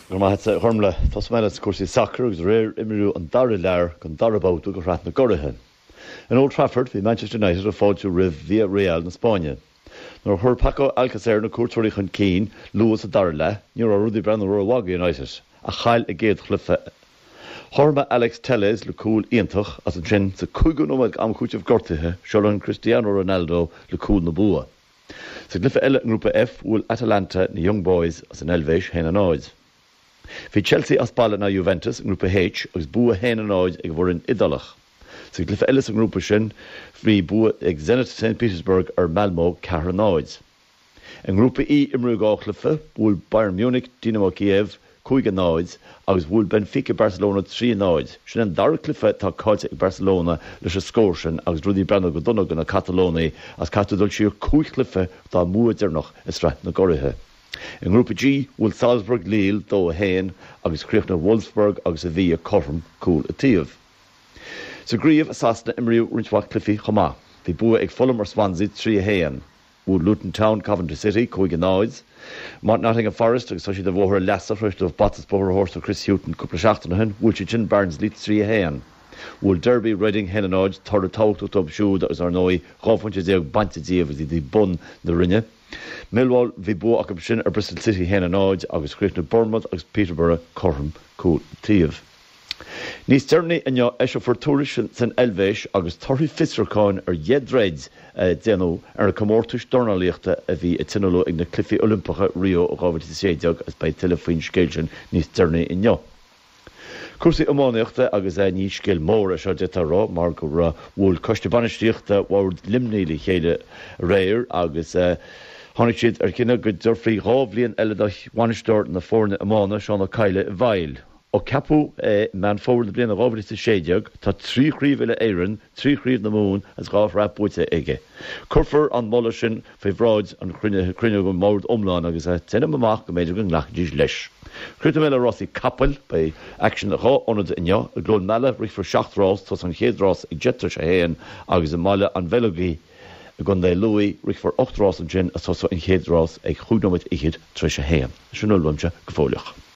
Go raibh maith agat, a Ghormlaith. Tosóidh mé le cúrsaí sacair agus aréir imríodh an dara leath den dara babhta de Shraith na gCuraithe. In Old Trafford bhí Manchester United ag fáiltiú roimh Villarreal na Spáinne. Nuair a chuir Paco Alcacer na cuairteoirí chun cinn luath sa dara leath, ní raibh rudaí ag breathnú rómhaith do United, a chaill a gcéad chluiche. Chothromaigh Alex Telles le cúl iontach agus ansin sa cúigiú nóiméad d'am cúitimh gortuithe, seo linn Cristiano Ronaldo le cúl na bua. Sa gcluiche eile i nGrúpa F, bhuail Atalanta na Young Boys as an Eilvéis 1-0. Bhí Chelsea as baile in aghaidh Juventus i nGrúpa H agus bua 1-0 ag an bhfoireann Iodálach. Sa gcluiche eile sa ngrúpa sin bhí bua ag Zenit St Petersburg ar Malmo 4-0. I nGrúpa E imríodh 2 chluiche, bhuail Bayern Munich Dynamo Kiev 5-0 agus bhuail Benfica Barcelona 3-0. Sin an dara cluiche atá caillte ag Barcelona leis an scór sin agus rudaí ag breathnú go dona do na Catalónaigh agus caithfidh dul siar cúig chluiche dá mbua deireanach i Sraith na gCuraithe. I nGrúpa G, bhuail Salzburg Lille 2-1 agus chríochnaigh Wolfsburg agus Sevilla cothrom, cúl an taobh. Sa gcraobh i Sasana imríodh roinnt mhaith cluichí chomh maith. Bhí bua ag Fulham ar Swansea 3-1. Bhuail Luton Town Coventry City, 5-0. Nottingham Forest, agus tá siad ar bhóthar a leasa tar éis dóibh bata is bóthar a thabhairt do Chris Hughton cúpla seachtain ó shin, bhuail siad sin Barnsley 3-1. Bhuail Derby Reading 1-0, toradh tábhachtach dóibh siúd agus ar ndóigh 12 phointe bainte díobh agus iad ag bun na roinne. Millwall, bhí bua acu sin ar Bristol City 1-0 agus chríochnaigh Bournemouth agus Peterborough cothrom, cúl an taobh. Níos deireanaí inniu eiseofar tuairisc san Eilvéis agus torthaí fiosrúcháin ar dheich dtroid a déanadh ar na comórtais dornálaíochta a bhí a tionóladh ag na Cluichí Oilimpeacha Rio 2016 agus beidh tuilleadh faoin scéal sin níos deireanaí inniu. Cúrsaí iománaíochta agus ní scéal mór é seo d'fhéadfá a rá mar go raibh bhuail Coiste Bainistíochta Bhord Luimnigh le chéile aréir agus tháinig siad ar chinneadh go dtabharfaí 2 bhliain eile do bhainisteoir na foirne iomána, Seán Ó Cadhla i bhfeighil. Ó ceapadh é i Meán Fómhair na bliana 2016, tá trí chraobh uile-Éireann, trí chraobh na Mumhan agus 2 shraith buaite aige. Cuirfear an moladh sin faoi bhráid an chruinniú den bhord iomlán agus déanaim amach go mb'fhéidir go nglacfaidís leis. Críochnóidh mé le rásaí capaill. Beidh aicsean i dhá ionad inniu. I gCluain Meala rithfear seacht rás, tosóidh an chéad rás ag 1:10 agus i mBaile an Bheilg i gContae Lú rithfear ocht rás ansin agus tosóidh an chéad rás ag chúig nóiméad fhichead tar éis a haon. Sin a bhfuil uaimse go fóilleach.